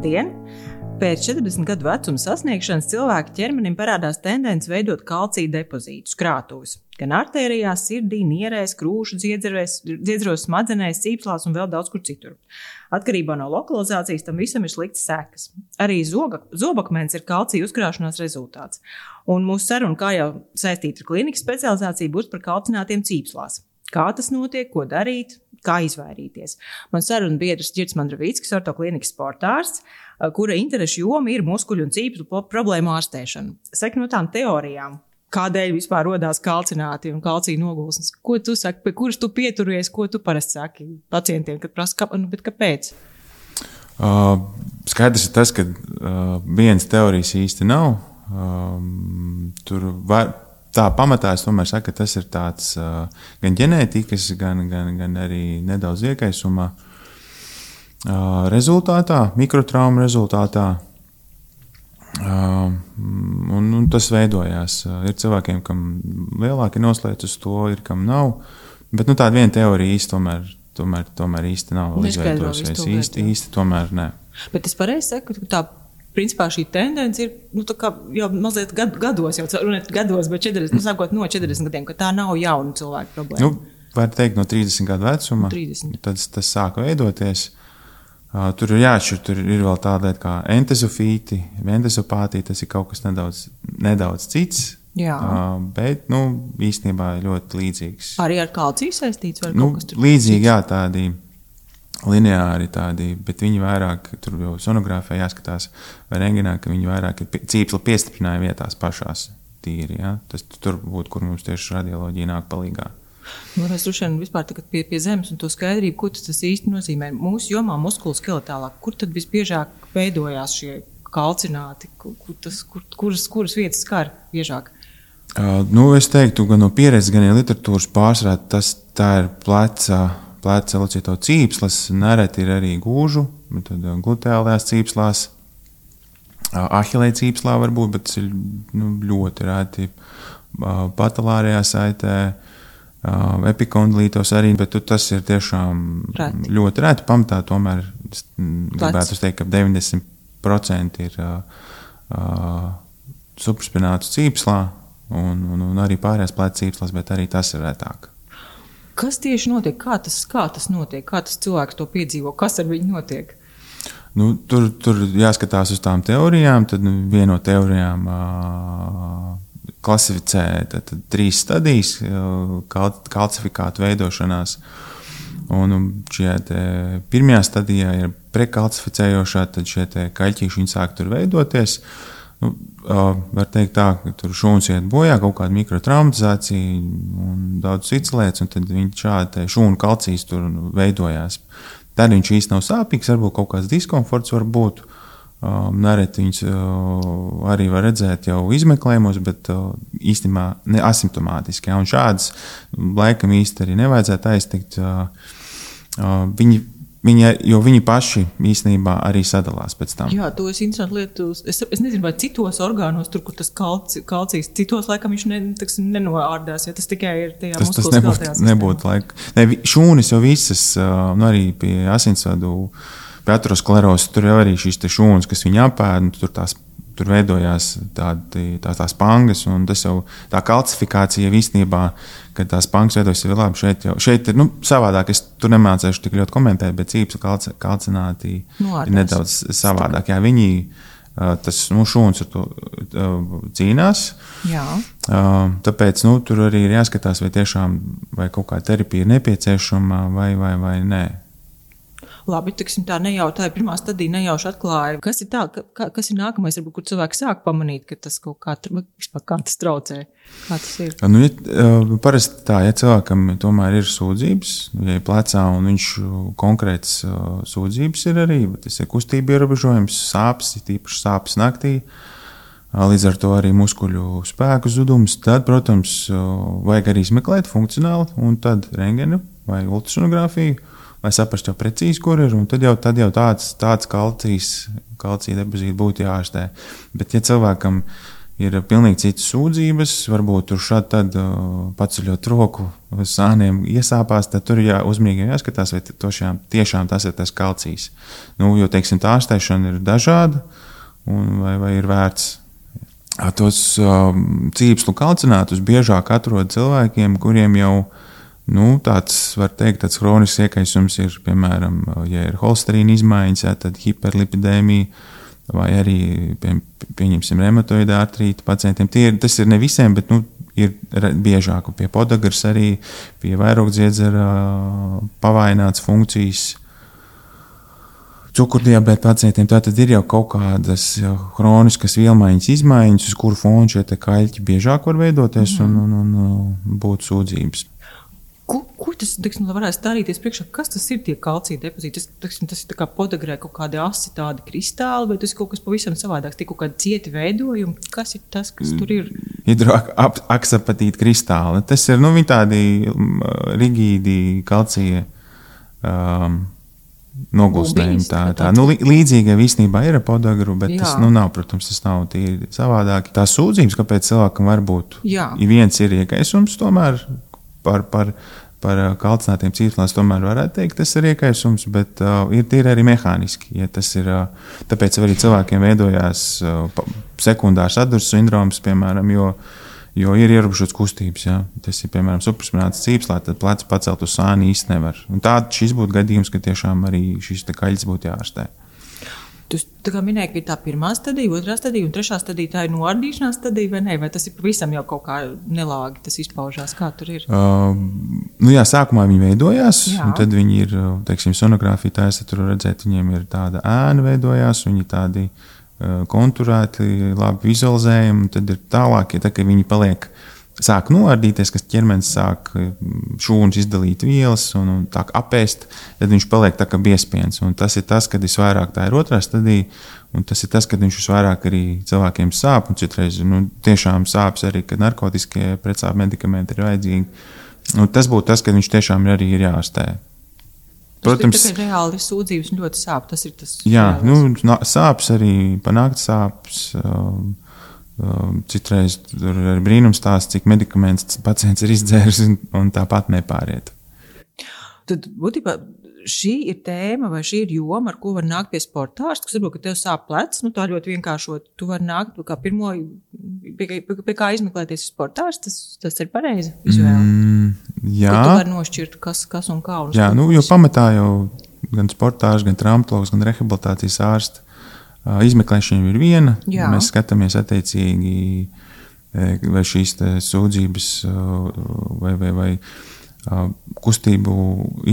Labdien! Pēc 40 gadu vecuma sasniegšanas cilvēka ķermenim parādās tendence veidot kalcija depozītus, krātuves. Gan artērijās, sirdī, nierēs, krūšu dziedzros, smadzenēs, cīpslās un vēl daudz kur citur. Atkarībā no lokalizācijas tam visam ir sliktas sekas. Arī zobakmens ir kalcija uzkrāšanās rezultāts. Un mūsu saruna, kā jau saistīta ar klinikas specializāciju, būs par kalcinātiem cīpslās. Kā tas notiek, ko darīt, kā izvairīties. Man saruna biedrs Girts Mandravīckis, ortoklinikas sportārsts, kura interešu joma ir muskuļu un cīpslu problēmu ārstēšana. Saka no tām teorijām, kādēļ vispār rodās kalcināti un kalcija nogulsnes. Ko tu saki, pie kuras tu pieturies, ko tu parasti saki pacientiem, kad prasa, bet kāpēc? Skaidrs ir tas, ka vienas teorijas īsti nav. Tā pamatā es tomēr saku, ka tas ir tāds gan ģenētikas, gan arī nedaudz iekaisuma rezultātā, mikrotrauma rezultātā. Un tas veidojās. Ir cilvēkiem, kam lielāki noslēdz uz to, ir kam nav. Bet tāda viena teorija īsti tomēr īsti nav izveidojusies. Īsti tomēr ne. Bet es pareizi saku, ka tā principā šī tendence ir jau mazliet gados, bet 40, sākot no 40 gadiem, ka tā nav jauna cilvēka problēma. Var teikt no 30 gadu vecuma, 30. Tad tas sāka veidoties. Tur ir jāatšķir, tur ir vēl tāda lieta kā entezofīti, endozopātija, tas ir kaut kas nedaudz cits, bet īstenībā ļoti līdzīgs. Arī ar kalciju saistīts var kaut kas tur? Līdzīgi, jā, tādi lineāri tādi, bet viņi vairāk, tur jau sonogrāfijā jāskatās, vai rengenā, ka viņi vairāk ir cīpsla piestiprinājuma vietās pašās tīri, ja? Tas tur būtu, kur mums tieši radioloģija nāk palīgā. Es droši vispār tagad pie zemes un to skaidrību, ko tas īsti nozīmē. Mūsu jomā muskuloskeletālā, kur tad visbiežāk veidojās šie kalcināti, kuras vietas skar biežāk? Es teiktu, gan no pieredzes, gan no literatūras pārsvarā, tā ir pleca locīto cīpslas, nereti ir arī gūžu, tad gluteālajās cīpslās, ahilē cīpslā varbūt, bet tas ir ļoti reti patalārajā saitē, epikondilītos arī, bet tas ir tiešām ļoti reti. Pamatā tomēr gribētu teikt, ka 90% ir supraspinātu cīpslā un arī pārējās pleca cīpslās, bet arī tas ir retāk. Kas tieši notiek? Kā tas notiek? Kā tas cilvēks to piedzīvo? Kas ar viņu notiek? Tur jāskatās uz tām teorijām. Tad viena no teorijām klasificē 3 stadijas kalcifikātu veidošanās. Un šajā pirmajā stadijā ir prekalcificējošā, tad šie kaļķīši viņi sāk tur veidoties. Var teikt tā, ka tur šūnas iet bojā, kaut kāda mikrotraumatizācija un daudz cits lietas, un tad šādi šūnu kalcijas tur veidojās. Tad viņš īsti nav sāpīgs, varbūt kaut kāds diskomforts var būt. Nereti viņus arī var redzēt jau izmeklējumos, bet īstenībā ne asimptomātiski. Un šādas laikam īsti arī nevajadzētu aiztikt. Jo viņi paši īstenībā arī sadalās pēc tam. Jā, to es interesanti lietu. Es nezinu, vai citos orgānos, tur, kur tas kalcijs, citos laikam viņš nenoārdās, ja tas tikai ir tajā muskuloskeletālajā sistēmā. Nebūtu laika. Šūnas jau visas, arī pie asinsvadu, pie aterosklerozes, tur jau arī šīs šūnas, kas viņi apēd, tur veidojās tās pangas, un tas jau tā kalcifikācija īstenībā, kad tās pangas veidojas jau labi. Šeit ir savādāk, es tur nemācēšu tik ļoti komentēt, bet cīpsla kalcināti ir nedaudz savādāk. Jā, viņi, šūnas ar to cīnās. Jā. Tāpēc tur arī ir jāskatās, vai tiešām vai kaut kā terapija ir nepieciešama vai nē. Labi, tā nejauši, tā pirmā stadija nejauši atklāja. Kas ir tā, kas ir nākamais, varbūt, kur cilvēki sāk pamanīt, ka tas kaut kā tas traucē? Kā tas ir? Parasti tā, ja cilvēkam tomēr ir sūdzības, ja ir plecā un viņš konkrēts sūdzības ir arī, bet tas ir kustība ierobežojums, sāpes, tīpaši sāpes naktī, līdz ar to arī muskuļu spēku zudums, tad, protams, vajag arī izmeklēt funkcionāli un tad rengenu vai ultrasonogrāfiju, lai saprastu jau precīzi, kur ir, un tad jau tāds kalcija depozīti būtu jāārstē. Bet, ja cilvēkam ir pilnīgi citas sūdzības. Varbūt tur šādi tad paceļot roku uz sāniem iesāpās, tad tur uzmanīgi jāskatās, vai tiešām tas ir tas kalcijs. Nu, jo, teiksim, tā ārstēšana ir dažāda, vai ir vērts. Tos cīpslu kalcinātus biežāk atrod cilvēkiem, kuriem jau tāds, var teikt, tāds hronisks iekaisums ir, piemēram, ja ir holesterīna izmaiņas, tad hiperlipidēmija, vai arī, pieņemsim, reumatoida artrīta pacientiem. Tas ir ne visiem, bet ir biežāk pie podagras arī, pie vairogdziedzera pavaināts funkcijas. Cukurdiabēta pacientiem tātad ir jau kaut kādas hroniskas vielmaiņas izmaiņas, uz kuru fonu šie kaļķi biežāk var veidoties un būt sūdzības. Ko tas, varētu stādīties priekšā? Kas tas ir tie kalcija depozīti? Tas ir tā kā podagrē kaut kādi asi tādi kristāli, vai tas ir kaut kas pavisam savādāks? Tie kaut kādi cieti veidojumi? Kas ir tas, kas tur ir? Hidroaksapatīti kristāli. Tas ir, viņi tādi rigīdi kalcija nogulstējumi. Līdzīga īstenībā ir ar podagru, bet tas nav, protams, tas nav tīri savādāk. Tās sūdzības, kāpēc cilvēkam var būt? Viens ir iekaisums tomēr par kalcinātiem cīpslās, tomēr varētu teikt, tas ir iekaisums, bet ir arī mehāniski. Ja tas ir, tāpēc arī cilvēkiem veidojās sekundārs atduras sindroms, piemēram, jo ir ierobežots kustības. Ja. Tas ir, piemēram, supraspināts cīpslā, tad plecs pacelt uz sāni īsti nevar. Un šis būtu gadījums, ka tiešām arī šis kaļķis būtu jāārstē. Tu tā kā minēji, ka ir tā pirmā stadija, otrā stadija un trešā stadija, tā ir noardīšanās stadija vai ne? Vai tas ir pavisam jau kaut kā nelāgi, tas izpaužās, kā tur ir? Sākumā viņi veidojās, un tad viņi ir, teiksim, sonogrāfija taisa, tur redzēt, viņiem ir tāda ēna veidojās, viņi tādi konturēti, labi vizualizējami, un tad ir tālāk, ja tā, ka viņi sāk noardīties, kas ķermenis sāk šūnas izdalīt vielas un tā apēst, tad viņš paliek tā kā biespiens. Un tas ir tas, kad visvairāk tā ir otrā stadija, un tas ir tas, kad viņš visvairāk arī cilvēkiem sāp, un citreiz tiešām sāpes arī, kad narkotiskie pretsāpju medikamenti ir vajadzīgi. Un tas būtu tas, kad viņš tiešām arī ir jāārstē. Protams, tas ir reāli sūdzības un ļoti sāp. Tas ir tas. Jā, sāpes arī, panākt sāpes. Citreiz tur ir brīnums, cik medikaments pacients ir izdzēris un tāpat nepāriet. Tad būtībā šī ir tēma vai šī ir joma, ar ko var nākt pie sportārsta, kas varbūt, ka tev sāp plecs, tā ļoti vienkāršot. Tu vari nākt kā pirmo, pie kā izmeklēties sportārsts, tas ir pareizi vizuāli. Jā. Tu vari nošķirt, kas un kā. Jā, jo pamatā jau gan sportārsts, gan traumatologs, gan rehabilitācijas ārsts. Izmeklēšana ir viena. Jā. Mēs skatāmies attiecīgi, vai šīs sūdzības vai kustību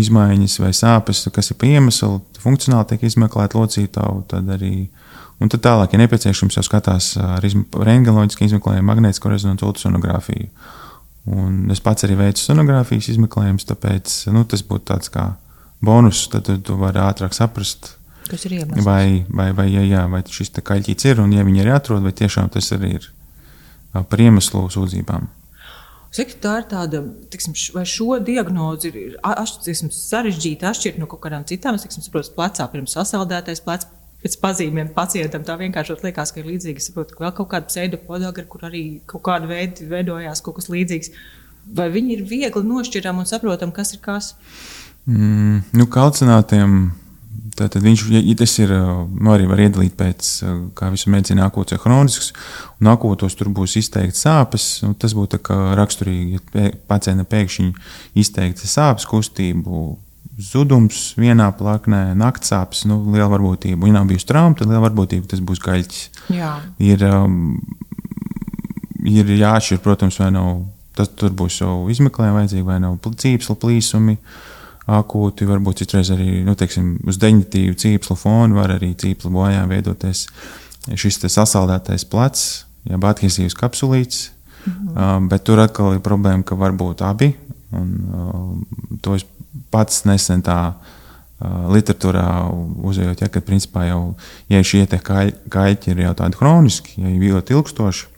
izmaiņas vai sāpes, kas ir pa iemeslu, funkcionāli tiek izmeklēta locītavu, tad arī. Un tad tālāk, ja nepieciešams, jau skatās ar rentgenoloģisku izmeklējumu, magnētisko rezonansu ultrasonogrāfiju. Un es pats arī veicu sonogrāfijas izmeklējumus, tāpēc tas būtu tāds kā bonus, tad tu vari ātrāk saprast, kas ir iemesls. Vai šis kaļķīts ir, un ja viņi arī atrod, vai tiešām tas arī ir par iemeslu sūdzībām. Saka, tā ir tāda, vai šo diagnozi ir sarežģīti atšķirt no kaut kādām citām. Es saprotu, plecā pirms sasaldētais plecs pēc pazīmēm pacientam tā vienkāršot liekas, ka ir līdzīgi. Es saprotu, ka vēl kaut kāda pseidopodagra, kur arī kaut kāda veidojās kaut kas līdzīgs. Vai viņi ir viegli nošķiram un saprotam, kas ir kas? Kalcinātiem. Tātad viņš, ja tas ir, arī var iedalīt pēc, kā visu medicīnu, akūts vai hronisks, un akūtos tur būs izteikti sāpes, un tas būtu tā kā raksturīgi, ja pacientam pēkšņi izteikti sāpes, kustību, zudums vienā plaknē, nakts sāpes, liela varbūtība. Ja nav bijusi trauma, tad liela varbūtība, tas būs kaļķis. Jā. Ir jāatšķir, protams, vai nav, tur būs jau izmeklējumi vajadzīgi, vai nav cīpsla plīsumi, akūti, varbūt citreiz arī, uz deģenitīvu cīpslu fonu var arī cīpslu bojā veidoties šis sasaldētais plecs, jeb adhēsīvs kapsulīts, bet tur atkal ir problēma, ka var būt abi, un to es pats nesen tā literatūrā uzējot, kad principā jau, ja šie kaļķi ir jau tādi hroniski, ja ir ļoti ilgstoši,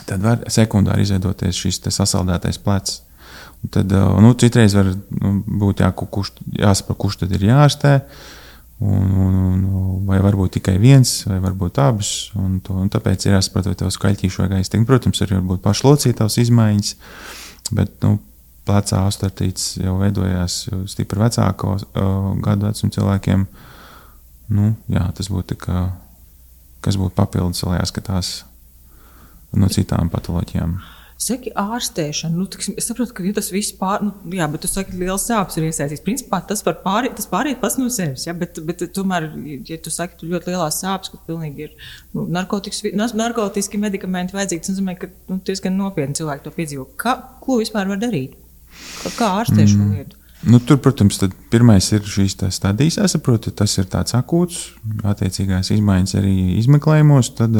tad var sekundāri izveidoties šis sasaldētais plecs. Tad citreiz var būt jāsaprot, kurš tad ir jāārstē. vai varbūt tikai viens, vai varbūt abas. Un tāpēc ir jāsaprot, vai tev skaļķīšu vajag aiztikt. Protams, arī varbūt pašlocītavas izmaiņas, bet plecā osteoartrīts jau veidojās stipri vecāko gadu vecumu cilvēkiem. Jā, tas būtu kas būtu papildus, lai jāskatās no citām patoloģijām. Saki, ārstēšana, es saprotu, ka tas viss bet tu saki, liels sāpes ir iesaistīts. Principā tas pāriet pats no sevis, ja? Bet tomēr, ja tu saki, tu ļoti lielās sāpes, ka pilnīgi ir narkotiski medikamenti vajadzīgi, tas nozīmē, ka diezgan nopietni cilvēki to piedzīvo. Ko vispār var darīt? Kā ārstē šo lietu? Tur, protams, pirmais ir šīs stadijas, jāsaprot, tas ir tāds akūts, attiecīgās izmaiņas arī izmeklējumos, tad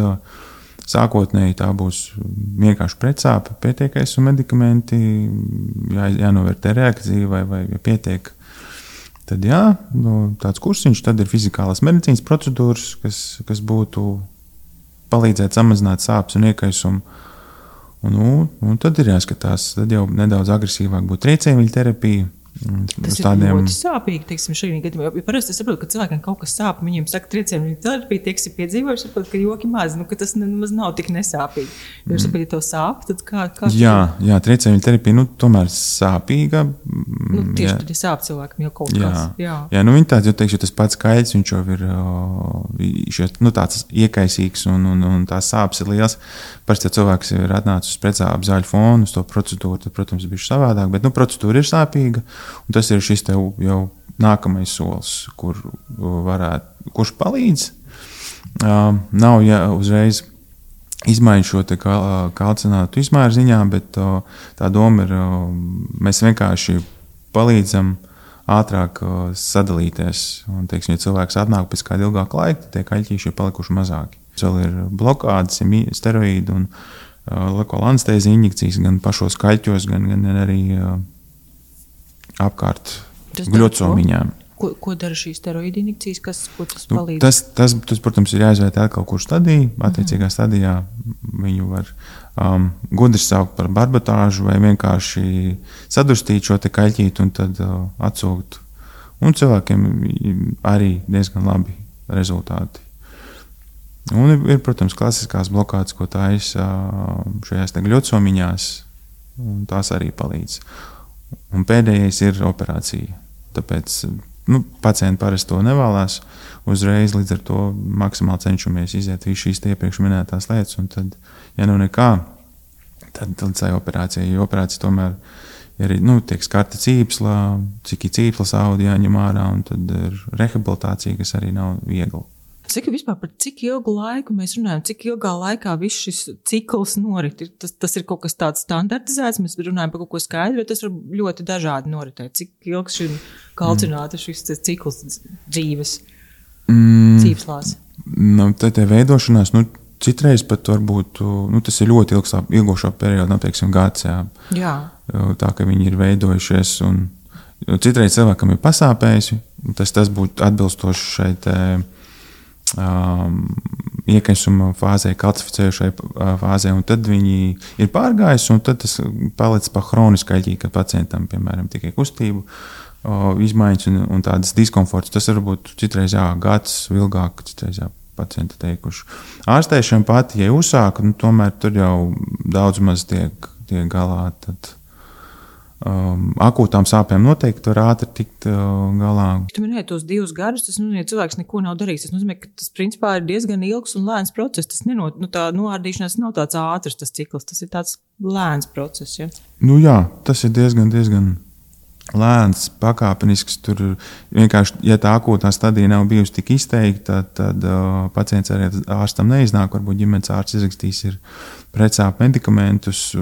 sākotnēji tā būs vienkārši pretsāpe, pietiekais un medikamenti, jānovērtē reakcija vai ja pietiek. Tad tāds kursiņš, tad ir fizikālās medicīnas procedūras, kas būtu palīdzēt samazināt sāpes un iekaisumu. Un tad ir jāskatās, tad jau nedaudz agresīvāk būtu triecienviļu terapija. Tas ir ļoti sāpīgi, teiksim, šajā gadījumā. Jo parasti es saprotu, ka cilvēkiem kaut kas sāp, viņiem saka, triecienviļu terapija, tie, kas ir piedzīvojuši, saprot, ka joki maz, ka tas nemaz nav tik nesāpīgi. Jo saprot, ja tev sāp, tad kā Jā, triecienviļu terapija, tomēr sāpīga. Tieši tad ir sāp cilvēkam jau kaut kas. Jā, viņi tāds, jo teikšu, tas pats kaļķis, viņš jau ir tāds iekaisīgs un tās sāpes ir liels. Parasti, ja cilvēks ir atnācis uz pretsāpju zāļu fonu, uz to procedūru, tad, protams, bišķi savādāk, bet procedūra ir sāpīga. Un tas ir šis tev jau nākamais solis, kurš palīdz. Nav uzreiz izmaiņu šo kalcinātu izmēru ziņā, bet tā doma ir, mēs vienkārši palīdzam ātrāk sadalīties. Un, teiksim, ja cilvēks atnāk pēc kāda ilgāka laika, tad tie kaļķīši ir palikuši mazāki. Vēl ir blokādes, steroīdi un lokāla anestēzija injekcijas gan pašos kaļķos, gan arī apkārt gļocomiņām. Ko dara šīs steroīdi injekcijas? Ko tas palīdz? Tas, protams, ir jāizvērtē atkal kurš stadija. Attiecīgā stadijā viņu var gudri saukt par barbotāžu vai vienkārši sadurstīt šo te kaļķīti un tad atsūkt. Un cilvēkiem arī diezgan labi rezultāti. Un ir, protams, klasiskās blokādes, ko taisa šajās gļocomiņās, un tās arī palīdz. Un pēdējais ir operācija. Tāpēc pacienti parasti to nevēlas uzreiz, līdz ar to maksimāli cenšamies iziet visu šīs iepriekš minētās lietas. Un tad, ja nekā, tad tai operācijai. Jo operācija tomēr ir tiek skarta cīpsla, cik ir cīpslas audio jāņem ārā, un tad ir rehabilitācija, kas arī nav viegla. Saki, vispār par cik ilgu laiku mēs runājam, cik ilgā laikā viss šis cikls norit? Tas ir kaut kas tāds standartizēts, mēs runājam par kaut ko skaidru, bet tas var ļoti dažādi noritēt. Cik ilgs šim kalcināta šis cikls dzīves cīpslās? Te veidošanās, citreiz pat varbūt, tas ir ļoti ilgošo periodu, teiksim, gads, jā. Tā, ka viņi ir veidojušies, un citreiz cilvēkam ir pasāpējusi, tas būtu atbilstoši šeit iekaisuma fāzē, kalcificējušai fāzē, un tad viņi ir pārgājuši, un tad tas paliec pa hronisku kaļķī, ka pacientam, piemēram, tikai kustību izmaiņas un tādas diskomforts. Tas var būt citreiz gads, ilgāk, citreiz pacienti teikuši. Ārstēšana pati, ja uzsāk, tomēr tur jau daudz maz tiek galā, tad akūtām sāpēm noteikti var ātri tikt galā. Tu minēji tos 2 gadus, tas nozīmē, ka cilvēks neko nav darījis. Tas nozīmē, ka tas principā ir diezgan ilgs un lēns process. Tas tā noārdīšanās nav tāds ātrs tas cikls, tas ir tāds lēns process. Ja? Jā, tas ir diezgan lēns, pakāpenisks. Tur vienkārši, ja tā akūtā stadija nav bijusi tik izteikta, tad pacients arī ārstam neiznāk. Varbūt ģimenes ārsts izrakstīs ir pretsāpju medikamentus.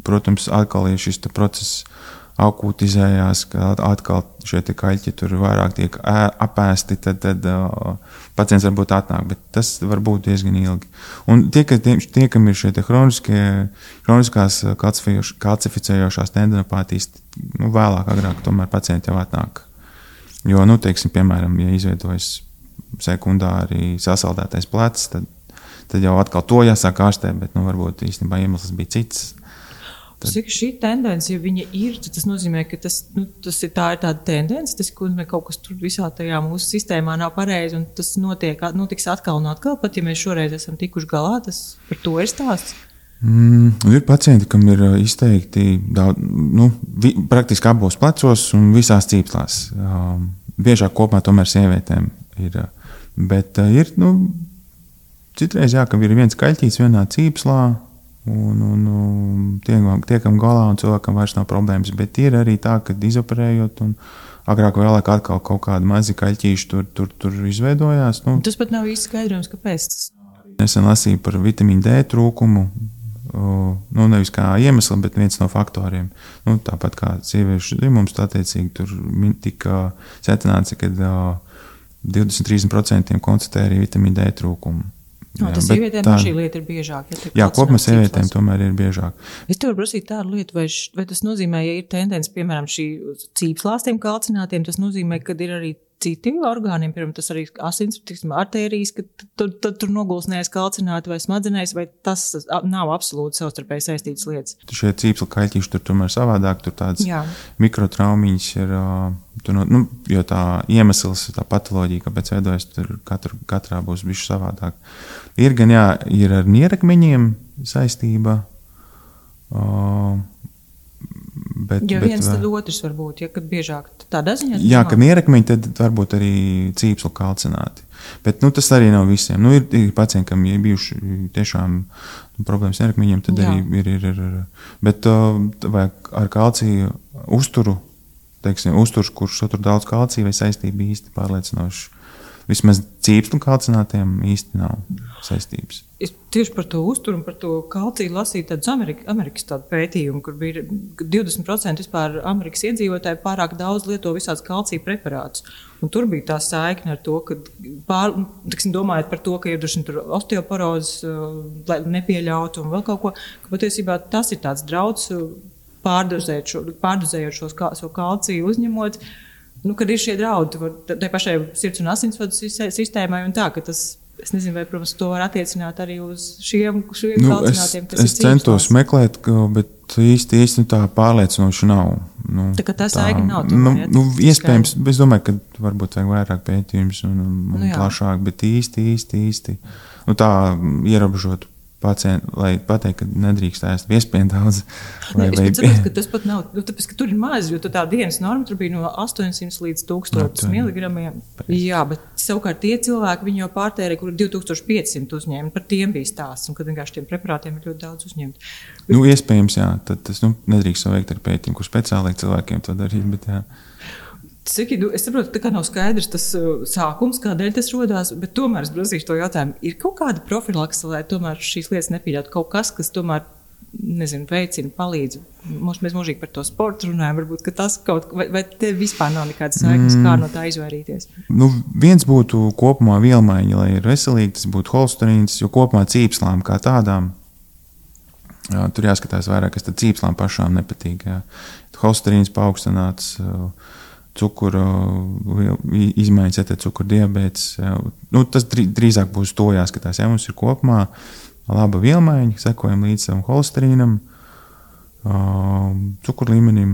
Protams, atkal ir šis process akūtizējās, ka atkal šie kaļķi tur vairāk tiek apēsti, tad pacients varbūt atnāk, bet tas var būt diezgan ilgi. Un tie, kam ir šie hroniskās kalcificējošās tendinopātijas, vēlāk, agrāk tomēr pacienti jau atnāk. Jo, teiksim, piemēram, ja izveidojas sekundāri sasaldētais plecs, tad jau atkal to jāsāk ārstēt, bet varbūt īstenībā iemesls bija cits. Cik šī tendence, ja viņa ir, tad tas nozīmē, ka tas ir tāda tendence, tas nozīmē, kaut kas tur visā tajā mūsu sistēmā nav pareizi, un tas notiks atkal un atkal, pat ja mēs šoreiz esam tikuši galā, tas par to ir stāsts. Ir pacienti, kam ir izteikti daudz, praktiski abos plecos un visās cīpslās. Biežāk kopumā tomēr sievietēm ir, bet ir, citreiz ka ir viens kaļķīts vienā cīpslā, un tiekam galā, un cilvēkam vairs nav problēmas. Bet ir arī tā, ka izoperējot, un agrāk vai vēlāk atkal kaut kādi mazi kaļķīši tur izveidojās. Tas pat nav īsti skaidrojums, kāpēc tas. Nesen lasīju par vitamīnu D trūkumu. Nevis kā iemesli, bet viens no faktoriem. Tāpat kā sieviešu dzimums, attiecīgi tur tika secināts, ka 20-30% konstatē arī vitamīnu D trūkumu. Tas sievietēm šī lieta ir biežāk. Kopumā sievietēm tomēr ir biežāk. Es tev varu prasīt tādu lietu, vai tas nozīmē, ja ir tendence, piemēram, šī cīpslāstiem kalcinātiem, tas nozīmē, ka ir arī citi orgāniem, piemēram, tas arī asins, artērijas, ka tur nogulsnējas kalcināti vai smadzenēs, vai tas nav absolūti savstarpēji saistītas lietas? Šie cīpsla kaļķīši tur tomēr savādāk, tur tādas mikrotraumiņas ir, jo tā iemesls, tā patoloģija, kāpēc veidojas, tur katrā būs bišķi savādāk. Ir gan, ir ar nierakmeņiem saistība, viens tad otrs var būt, kad biežāk tādā ziņā. Kad nierakmeņi, tad varbūt arī cīpslu kalcināti. Bet tas arī nav visiem. Ir pacienti, kam ir bijuši tiešām problēmas nierakmeņiem, tad arī ir. Bet vai ar kalciju uzturu, uzturs, kurš satur daudz kalcija, vai saistība īsti pārliecinoši. Vismaz cīpslu kalcinātiem īsti nav saistības. Es tieši par to uzturu un par to kalciju lasīju tādus Amerikas tādu pētījumu, kur bija 20% vispār Amerikas iedzīvotāji pārāk daudz lieto visādas kalcija preparātus. Un tur bija tā saikne ar to, ka domājot par to, ka ir tur osteoporozes, lai nepieļautu un vēl kaut ko, ka patiesībā tas ir tāds drauds pārdozējot šo kalciju uzņemot. Kad ir šie draudi tai pašai sirds un asinsvadu sistēmai un tā, ka tas, es nezinu, vai, protams, to var attiecināt arī uz šiem kalcinātiem, kas ir cīpslās. Es centos meklēt, bet īsti tā pārliecinoši nav. Tā kā tā saikne nav. Iespējams, es domāju, ka varbūt vajag vairāk pētījums un plašāk, bet īsti. Tā ierobežot pacientu, lai pateikt, ka nedrīkst ēst iespējami daudz. Es saprotu, ka tas pat nav, tāpēc, ka tur ir maz, jo tā dienas norma tur bija no 800 līdz 1000 miligramiem. Jā, bet savukārt tie cilvēki, viņi jau pārtērē, kur 2500 uzņēma, par tiem bija stāsts, un kad vienkārši tiem preparātiem ir ļoti daudz uzņemt. Iespējams, tad tas nedrīkst veikt ar pētījumu, kur speciālai cilvēkiem to darīt, bet jā. Es saprotu, ka tā kā nav skaidrs tas sākums, kādēļ tas rodās, bet tomēr es prasīšu to jautājumu. Ir kaut kāda profilakse, lai tomēr šīs lietas nepieļautu kaut kas, kas tomēr, veicina, palīdz? Mēs mūžīgi par to sportu runājam, varbūt, ka tas vai te vispār nav nekādas saiknes, kā no tā izvairīties? Viens būtu kopumā vielmaiņa, lai ir veselīgi, tas būtu holsterīns, jo kopumā cīpslām kā tādām, tur jāskatās vairāk, kas tad cīpslām pašām nepatīk. Holsterīns paaugstināts, cukuru izmaiņas, cukuru diabēts. Tas drīzāk būs to jāskatās. Mums ir kopumā laba vielmaiņa, sekojam līdz savam holesterīnam, cukuru līmenim.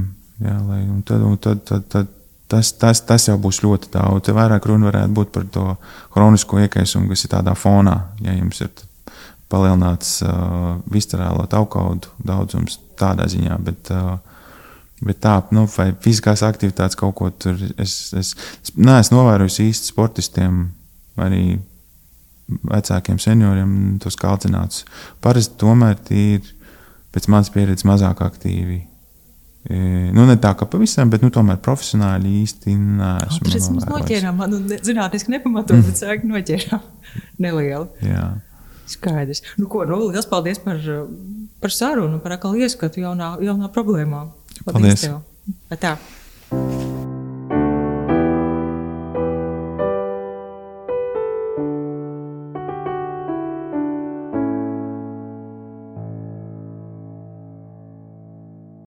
Tas jau būs ļoti daudz. Te vairāk runa varētu būt par to hronisko iekaisumu, kas ir tādā fonā. Ja jums ir palielināts viscerālo taukaudu daudzums tādā ziņā, bet tā, vai fiziskās aktivitātes kaut ko tur, es neesmu novērojusi īsti sportistiem, arī vecākiem senioriem tos kalcinātus. Parasti tomēr ir, pēc manas pieredzes, mazāk aktīvi. Ne tā kā pavisam, bet tomēr profesionāli īsti neesmu novērojis. Mēs noķērām, zinātniski nepamatot, bet sāk noķērām nelielu. Jā. Skaidrs. Liels paldies par sarunu, par atkal ieskatu jaunā problēmā. Paldies. Tev. Tā.